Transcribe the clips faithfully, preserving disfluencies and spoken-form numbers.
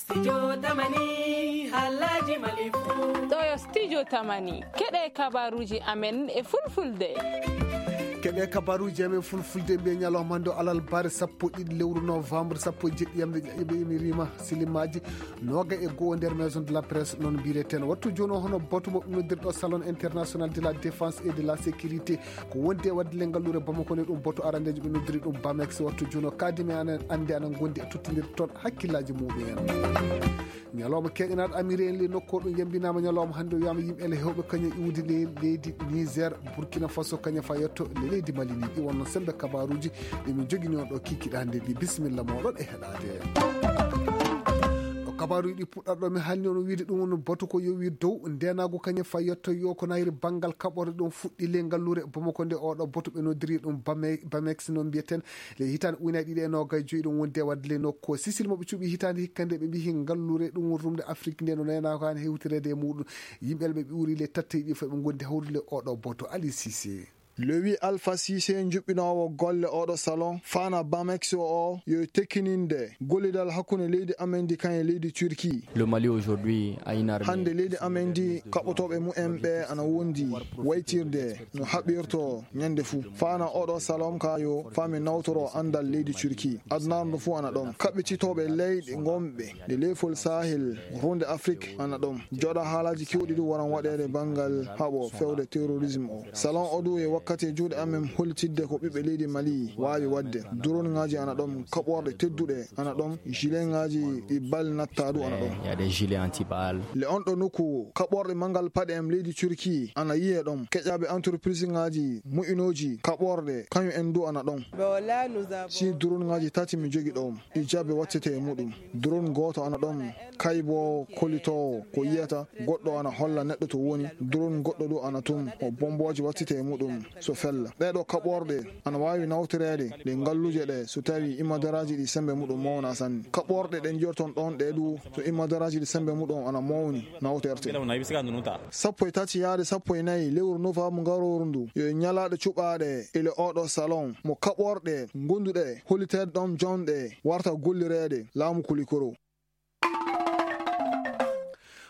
Studio Tamani, halaji Mali fu. Ɗo yo Studio Tamani, keɗe kabaruji amen e fulfulde. Keɗe kabaruji amen fulfulde mbiye ñalawma hannde o alarba sappo ɗiɗi lewru novembre, sappo e jeɗɗi yamde ƴaƴɓe emirima silimaji noga e goho nder maison de la presse, noon mbireten. Wattu jooni o hono boto mo noddirɗo Salon International de la Défense et de la Sécurité, ko wondi e wadde le ngalluure Bamako nde, ɗum boto arandejo ɓe noddiri ɗum Bamex. Wattu jooni o kadimi anen ande ana gondi e tottindirde toon hakkillaji muɗum en. Ñalawma keeƴanaɗo amiri en le nokku o ɗum yambinama ñalawma hannde o wiyama yimɓe ele hewɓe kañum iwde le leydi Niger, Burkina Faso, kañum fa yetto le leydi Mali ni. Ɗi wonno sembe kabaruji ɗi min jogini on ɗo kikiɗande ɗi. Bisimilla moɗon e heɗade. Ɗo kabaruji ɗi puɗɗarɗo mi halni on wiide ɗum on batu ko yowi dow ndenagu kañum fa yetto yo ko nayri bangal kaɓore ɗum fuɗɗi le ngalluure Bamako nde. Oɗo batu ɓe noddiri ɗum Bame-, Bamex no mbiyeten. Le hitande ujunnaji ɗiɗi e noga e joyi ɗum wonde wadde le nokku o Sicile mo ɓe cuɓi hitande hikka nde ɓe mbihi ngalluure ɗum woni rumde Afrique nde no naynaako han hewtirede e muɗum. Yimɓe ɓe ɓe uri le tatte ɗi fof ɓe gondi hawrude le oɗo boto Ali Cissé. Lewi Alpha Cissé, juɓɓinoowo golle oɗo salon, fana Bamex o, yo tekkininde gollidal hakkunde leydi amen ndi kan e leydi Turquie. Le Mali aujourd'hui a une armée. Hannde leydi amen ndi kaɓotooɓe mumen ɓe ana wondi waytirde no haɓirto ñande fuu. Fana oɗo salon ka yo fami nawtoro anndal leydi Turquie. Adunaaru ndu fuu ana ɗon. Kaɓɓititooɓe leyɗe ngonɓe nde leyfol Sahel, runde Afrique ana ɗon. Joɗa haalaji kewɗi ɗi waran waɗeede banngal haɓo fewde terrorisme o. Salon o du e wakkati e juuɗe amen hollitidde ko ɓiɓɓe leydi Mali waawi waɗde. Drone ŋaaji ana ɗon, kaɓorɗe tedduɗe ana ɗon, gilet ŋaaji ɗi bal natta du ana ɗon. Il y a des gilets anti-balles. Le on ɗo nokku kaɓorɗe manngal paɗe am leydi Turquie ana yiye ɗon. Keƴaɓe entreprise ŋaaji moƴƴinooji kaɓorɗe kañum en du ana ɗon. Si drone ŋaaji tati mi jogi ɗo, ɗi jabe wattete e muɗum. Drone gooto ana ɗon, kaybo kolitoowo ko yiyata, goɗɗo ana holla neɗɗo to woni, drone goɗɗo du ana tun, o bombooje wattete e muɗum so fella. Ɗee ɗo kaɓorɗe ana waawi nawtoreede ɗe ngalluuje ɗe so tawi imadaraaji ɗi sembe muɗum mawna sanne. Kaɓorɗe ɗe njorton ɗon ɗe du so imadaraaji ɗi sembe muɗum ana mawni nawterte. Sappo e tati yaade sappo e nayi lewru novembre ngarooru ndu, yo ñalaaɗe cuɓaaɗe ele oɗo salon mo kaɓorɗe gonduɗe holliteede ɗon jonɗe warta gollireede laamu Kulikoro.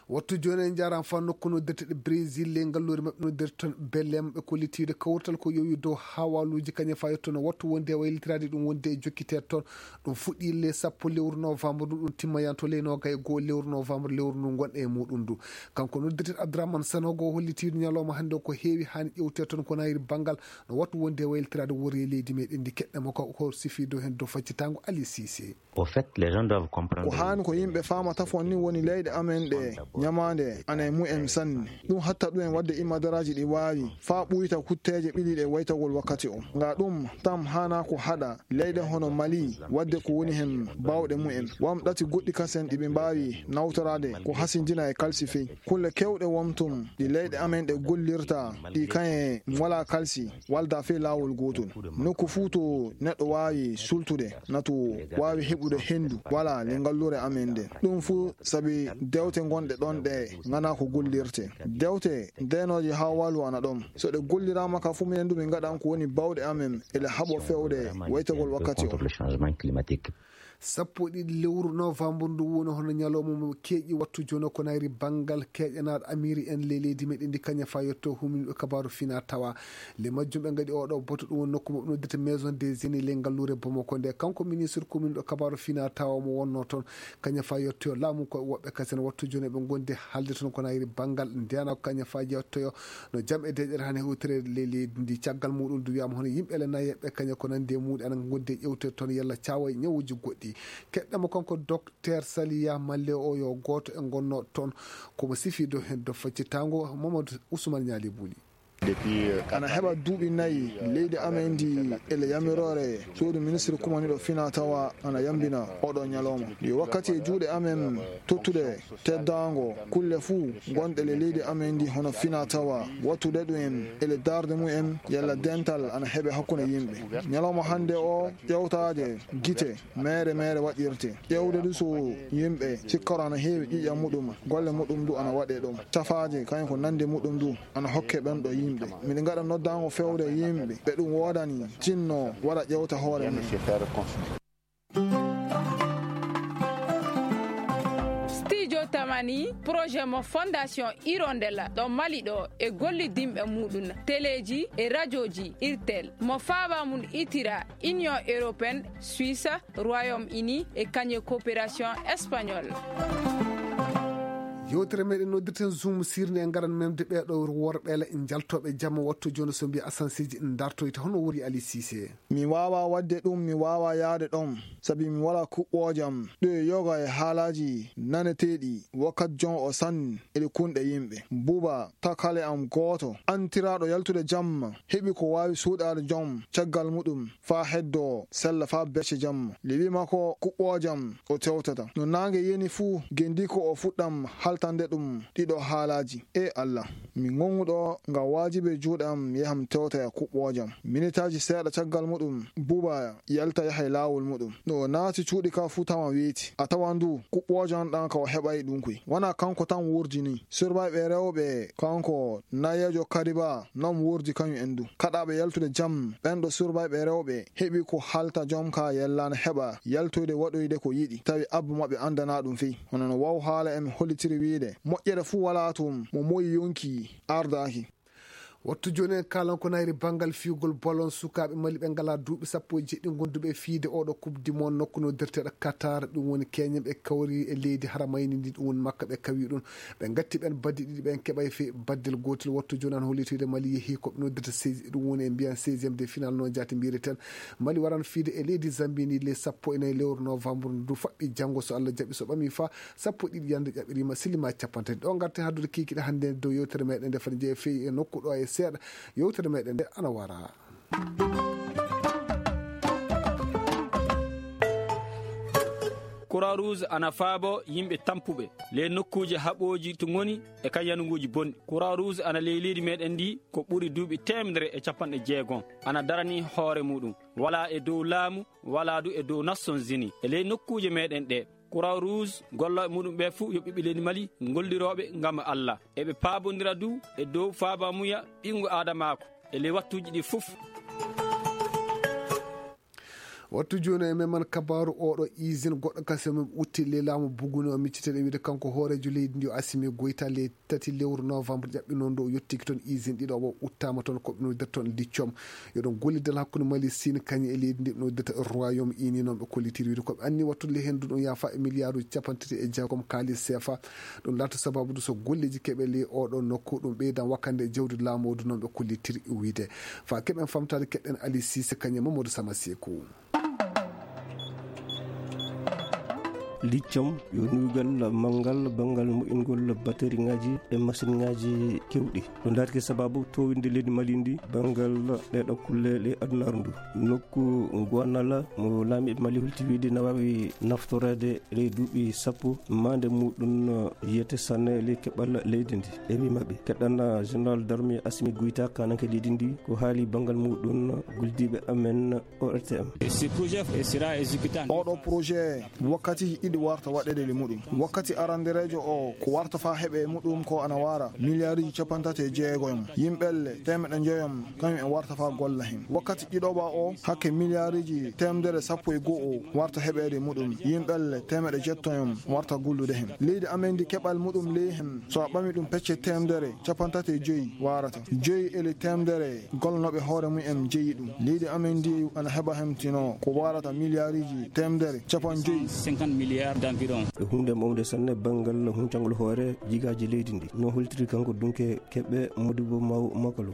Wattu jooni en njaaraama fa nokku noddirteɗe Brésil, le ngalluure maɓɓe noddirte toon Belém, ɓe kollitiide kawrital ko yowi dow hawaluuji kañum fa yetto no wattu wonde e waylitiraade ɗum wonde e jokkiteede toon. Ɗum fuɗɗii le sappo lewru novembre ndu, ɗum timmayanto le noga e goo lewru novembre lewru ndu ngonɗe e muɗum ndu. Kanko noddirteɗo Abdourahmane Sanogo o hollitiide ñalawma hannde o ko heewi haani ƴewteede toon ko nayri banngal no wattu wonde e waylitiraade worre leydi meɗen ndi keɗɗe mo ko, ko sifi dow heen dow faccitango Ali Cissé. Au fait, les gens doivent comprendre. Ko haani ko yimɓe faama tafon ni woni leyɗe amen ɗe ñamaande ana e mumen sanne. Ɗum hatta ɗum en waɗde imadaraaji ɗi waawi faa ɓuyta kutteeje ɓili ɗe waytagol wakkati o. Nga ɗum tam haana ko haɗa leyɗe hono Mali waɗde ko woni heen baawɗe mumen. Wam ɗati goɗɗi kasen ɗi ɓe mbaawi nawtoraade ko hasindina e kalsifey. Kulle kewɗe wontum ɗi leyɗe amen ɗe gollirta ɗi kaye ngala kalsi walda fey laawol gootol. Nokku fuu to neɗɗo waawi sultude na to waawi heɓude henndu wala le ngalluure amen nde. Ɗum fuu sabi dewte ngonɗe ɗon ɗe ngana ko gollirte. Dewte ndenooje haa walu ana ɗon. So ɗe golliraama ka fuu minen du min ngaɗan ko woni baawɗe amen ele haɓo fewde waytagol wakkati o. Sappo e ɗiɗi lewru novembre ndu woni hono ñalawma mo keeƴi wattu jooni ko nayri banngal keeƴanaaɗo amiri en le leydi meɗen ndi kaña fa yetto huminɓe kabaaru fina tawa. Le majjum ɓe ngaɗi oɗo boto ɗum woni nokku maɓɓe noddirta maison des aînés le ngalluure Bamako nde. Kanko ministre commune ɗo kabaaru fina tawa mo wonno toon kaña fa yettoyo laamu ko woɓɓe kasen wattu jooni ɓe gondi haalde toon ko nayri banngal ndena ko kaña fa yettoyo no jam e deƴƴere hane hewtere le leydi ndi. Caggal muɗum du wiyama hono yimɓe le nayeɓe kaña ko nandi e muɗi ana gondi e ƴewte toon yalla cawa e ñawuji goɗɗi. Keɗɗamo kanko docteur Saliya Malle o yo gooto e gonno toon komo sifi dow heen dow faccitango Mamadou Ousmane Ñaali Buli. Ana heɓa duuɓi nayi leydi amen ndi ele yamiroore suudu ministre kumaniɗo fina tawa ana yambina oɗo ñalawma. Yo wakkati e juuɗe amen tottude teddaango kulle fuu gonɗe le leydi amen ndi hono fina tawa wattude ɗum en ele darde mum en yalla dental ana heɓe hakkunde yimɓe. Ñalawma hannde o ƴewtaaje gite meere meere waɗirte. Ƴewde du so yimɓe sikkoro ana heewi ƴiiƴam muɗum, golle muɗum du ana waɗe ɗum. Cafaaje kañum ko nande muɗum du ana hokke ɓen ɗo yimɓe. Miɗo ngaɗa noddaango fewde yimɓe ɓe ɗum woodani tinno waɗa ƴewta hoore mum. Jotamani projet mo Fondation Hirondelle ɗo Mali ɗo e gollidinɓe muɗum teleeji e rajooji Irtel mo faaba mum itira Union Européenne, Suisse, Royaume Uni e kañe coopération espagnole. Yewtere meɗen noddirten Zoom sirnde e ngaran memde ɓeeɗo worɓe jaltooɓe jamma wattu jono so mbiya asanseji dartoyta hono wori Ali Cissé. Mi waawaa waɗde ɗum, mi waawaa yahde ɗoon, sabi mi walaa kuɓɓoojam. Ɗo e yoga e haalaaji naneteeɗi, wakkati jon o sanni eɗi kunɗe yimɓe. Buuba, takale am gooto, antiraaɗo yaltude jamma, heɓi ko waawi suuɗaade joom caggal muɗum faa heddoo sella faa becce jamma. Liɓi makko kuɓɓoojam o tewtata. No naange yani fuu, gendi ko o fuɗɗam haltande ɗum ɗiɗo haalaaji. E Allah, mi ŋoŋuɗo nga waajibi e juuɗe am, yaham tewta e kuɓɓoojam. Minitaaji seeɗa caggal muɗum, Buuba yalta yaha e laawol muɗum. No o naati cuuɗi ka fuu tawa weeti. A tawan du kuɓɓoojam ɗan ka o heɓay ɗum koy. Wanaa kanko tan wurdi ni. Surbaaɓe rewɓe, kanko nayeejo Kariba, non wurdi kañum en du. Kaɗaaɓe yaltude jam, ɓen ɗo surbaaɓe rewɓe heɓi ko halta jom ka yellaana heɓa yaltoyde waɗoyde ko yiɗi, tawi abba maɓɓe andanaa ɗum fey. Hono no waw haala en hollitiri wiide, moƴƴere fuu walaa toon, mo moyi yonki ardaaki. Wattu jooni en kaalan ko nayri banngal fiyugol bolon sukaaɓe Mali ɓe ngalaa duuɓi sappo e jeɗɗi gonduɓe e fiyde oɗo Coupe du Monde nokku no derteɗo Qatar, ɗum woni keñen ɓe kawri e leydi haramayni ndi, ɗum woni Makka ɓe kawi ɗum. Ɓe ngatti ɓen baddi ɗiɗi, ɓen keɓay fe baddel gootel. Wattu jooni an hollitoyde Mali yehi ko ɓe noddirta seize, ɗum woni e mbiyan seizième de finale no jaati mbiyeten. Mali waran fiyde e leydi Zambie ni le sappo e nayi lewru novembre ndu faɓɓi janngo so Allah jaɓi, so ɓami fa sappo e ɗiɗi yande ƴaɓɓirima silima capanɗe tati. Ɗo ngarten haddude kikiɗe hannde dow yewtere meɗen nde fati jeeya feyi e nokku ɗo e seeɗa. Yewtere meɗen nde ana wara. Croix Rouge ana faabo yimɓe tampuɓe le nokkuuje haɓooji to ngoni e kan yanuguuji bonɗi. Croix Rouge ana ley leydi meɗen ndi ko ɓuri duuɓi teemedere e capanɗe jeegom. Ana darani hoore muɗum. Walaa e dow laamu, walaa du e dow Nations Unies. E ley nokkuuje meɗen ɗe, Croix Rouge, gollooɓe muɗum ɓe fuu yo ɓiɓɓe leydi Mali, ngollirooɓe ngam Allah. Eɓe paabondira du e dow faabamuya ɓinngu aadamaaku e ley wattuuji ɗi fuf. Wattu jooni e men man kabaaru oɗo usine goɗɗo kasi men utti le laamu buguni o micciteɗo wiide kanko hooreejo leydi ndi o Assimi Goïta le tati lewru novembre ƴaɓɓi noon ɗo o yettiki toon usine ɗiɗo o uttaama toon ko ɓe noddirta toon Lithium. Yo ɗon gollidal hakkunde Mali Sine kañum e leydi ndi ɓe noddirta Royaume Uni noon ɓe kollitiri wiide ko ɓe anni wattude le henndu ɗum yaafa e miliyaaruuji capanɗe tati e jeegom kaalis seefa. Ɗum laata sababu du so golleeji keɓe le oɗo nokku ɗum ɓeydan wakkande e jawdi laamu o du noon ɓe kollitiri wiide. Fa keɓen famtaade keɗɗen Ali Sise kañum e Mamadou Sama Seeku. Liccam yo nuugal manngal banngal moƴƴingol bateriŋaaji e masiŋaaji keewɗi. Ɗo ndaarti sababu towinde leydi Mali ndi banngal ɗeɗo kulle ɗe adunaaru ndu. Nokku Guanala mo laamiiɓe Mali hulti wiide na waawi naftoreede ley duuɓi sappo, maande muɗum yiyete sanne ley keɓal leydi ndi. E wii maɓɓe, keɗɗan Général d'armée Assimi Goïta, kaananke leydi ndi, ko haali banngal muɗum guldiiɓe amen O R T M. Ce projet sera exécuté en Oɗo projet wakkati ɗiɗi warta waɗeede e muɗum. Wakkati arandereejo o ko warta faa heɓe e muɗum ko ana wara miliyaaruuji capanɗe tati e jeegom. Yimɓelle teemeɗɗe njoyom kañum en warta faa golla hen. Wakkati ɗiɗoɓa o hakke miliyaaruuji teemedere sappo e go'o warta heɓeede e muɗum. Yimɓelle teemeɗɗe jettoyom warta gullude hen. Leydi amen ndi keɓal muɗum ley hen so a ɓami ɗum pecce teemedere capanɗe tati e joyi warata. Joyi e ley teemedere gollanooɓe hoore mum en jeyi ɗum. Leydi amen ndi ana heɓa hemtino ko warata miliyaaruuji teemedere capanɗe joyi. Cinquante milliards d'environ. Ko huunde mawnde sanne banngal huncangol hoore jigaaji leydi ndi. No holtiri kanko dunke keɓe Modibo Maw Makalo.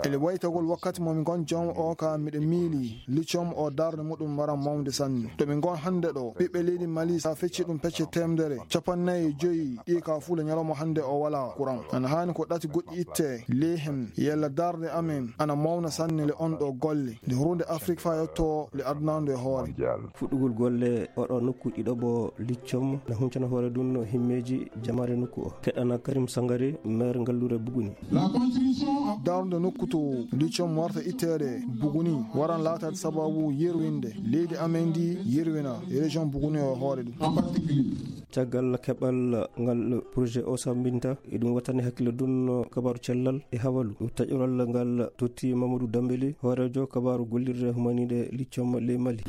Ele waytagol wakkati mo mi ngon jom o ka miɗo miili liccom o darnde muɗum waran mawnde sanne. To mi ngon hannde ɗo, ɓiɓɓe leydi Mali sa fecci ɗum pecce teemedere capanɗe nayi e joyi ɗi ka fuula ñalawma hannde o wala courant. Ana haani ko ɗati goɗɗi itte ley hen yalla darnde amen ana mawna sanne le on ɗo golle. Nde hurude Afrik fa yetto le adunandu e hoore. Fuɗɗugol golle oɗo nokku ɗiɗoɓo liccom na huncana hoore ɗum himmeeji jamaare nokku o. Keɗana Karim Sangare, maire ngallure Buguni. Darnde nokku to liccom warta itteede Buguni waran laataade sababu yerwinde leydi amen ndi yerwina région Buguni o hoore ɗum. Caggal keɓal ngal projet o sammbinta, eɗum wattani hakkille dunno kabaaru cellal e hawalu. Taƴoral ngal totti Mamadou Dambélé, hooreejo kabaaru gollirde humaniiɗe liccom ley Mali.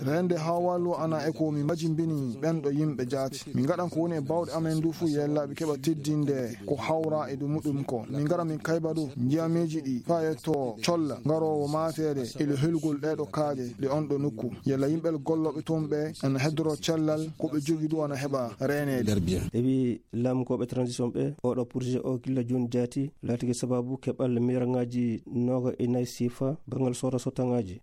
Reende hawalu ana e ko mi majimbini ɓen ɗo yimɓe jaati. Min ngaɗan ko woni e bawɗe amen ndu fuu yellaaɓe keɓa teddinde ko hawra e ɗum muɗum ko. Min ngara min kayba ɗum njiyameeji ɗi faa yetto colla ngaroowo maateede e le helugol ɗee ɗo kaaƴe ɗe on ɗo nokku. Yalla yimɓe gollooɓe toon ɓe ana heddoro cellal ko ɓe jogi ɗum ana heɓa reeneede. Ewi laamkooɓe transition ɓe, oɗo projet o gilla jooni jaati laatike sababu keɓal miraŋaaji nooga e nayi sifa banngal soora sottaŋaaji.